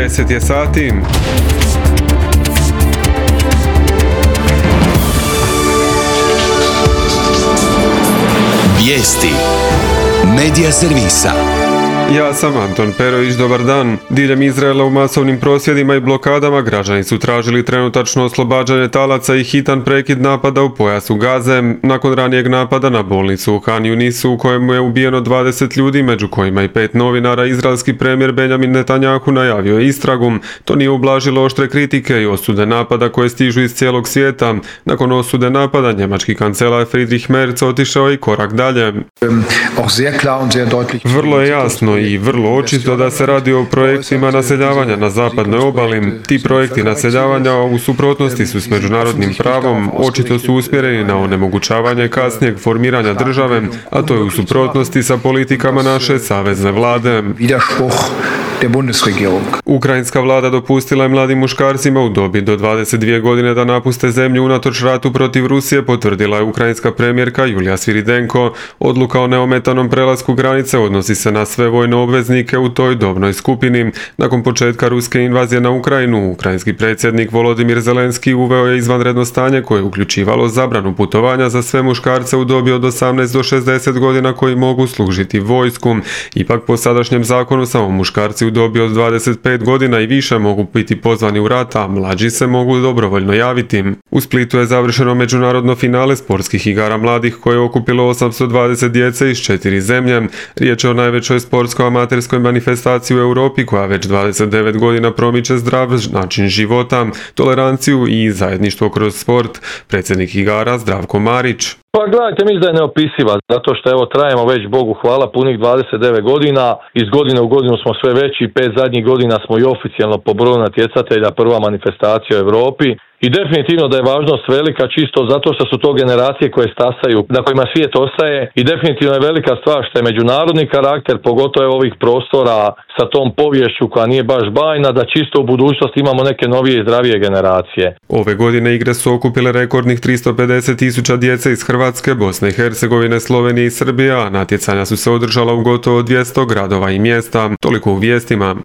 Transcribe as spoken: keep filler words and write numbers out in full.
deset je sati. Vijesti Medija servisa. Ja sam Anton Perović, dobar dan. Diljem Izraela u masovnim prosvjedima i blokadama građani su tražili trenutačno oslobađanje talaca i hitan prekid napada u pojasu Gaze, nakon ranijeg napada na bolnicu u Han Yunisu u kojemu je ubijeno dvadeset ljudi, među kojima i pet novinara. Izraelski premijer Benjamin Netanjahu najavio je istragu. To nije ublažilo oštre kritike i osude napada koje stižu iz cijelog svijeta. Nakon osude napada, njemački kancelar Friedrich Merz otišao i korak dalje. Vrlo je jasno i vrlo očito da se radi o projektima naseljavanja na zapadnoj obali. Ti projekti naseljavanja u suprotnosti su s međunarodnim pravom, očito su usmjereni na onemogućavanje kasnijeg formiranja države, a to je u suprotnosti sa politikama naše savezne vlade. Ukrajinska vlada dopustila je mladim muškarcima u dobi do dvadeset dvije godine da napuste zemlju unatoč ratu protiv Rusije, potvrdila je ukrajinska premijerka Julija Sviridenko. Odluka o neometanom prelasku granice odnosi se na sve vojne obveznike u toj dobnoj skupini. Nakon početka ruske invazije na Ukrajinu, ukrajinski predsjednik Volodimir Zelenski uveo je izvanredno stanje koje je uključivalo zabranu putovanja za sve muškarce u dobi od osamnaest do šezdeset godina koji mogu služiti vojsku. Ipak po sadašnjem zakonu samo muškarci u dobi od dvadeset pet godina i više mogu biti pozvani u rat, a mlađi se mogu dobrovoljno javiti. U Splitu je završeno međunarodno finale sportskih igara mladih koje je okupilo osamsto dvadeset djece iz četiri zemlje. Riječ je o najvećoj sportskoj amaterskoj manifestaciji u Europi koja već dvadeset devet godina promiče zdrav način života, toleranciju i zajedništvo kroz sport. Predsjednik igara Zdravko Marić. Pa gledajte, mislim da je neopisiva, zato što evo trajemo već Bogu hvala punih dvadeset devet godina, iz godine u godinu smo sve veći, pet zadnjih godina smo i oficijalno po broju natjecatelja prva manifestacija u Europi. I definitivno da je važnost velika čisto zato što su to generacije koje stasaju, na kojima svijet ostaje, i definitivno je velika stvar što je međunarodni karakter, pogotovo ovih prostora sa tom poviješću koja nije baš bajna, da čisto u budućnosti imamo neke novije i zdravije generacije. Ove godine igre su okupile rekordnih tristo pedeset tisuća djece iz Hrvatske, Bosne i Hercegovine, Slovenije i Srbije, a natjecanja su se održala u gotovo dvjesto gradova i mjesta. Toliko u vijestima.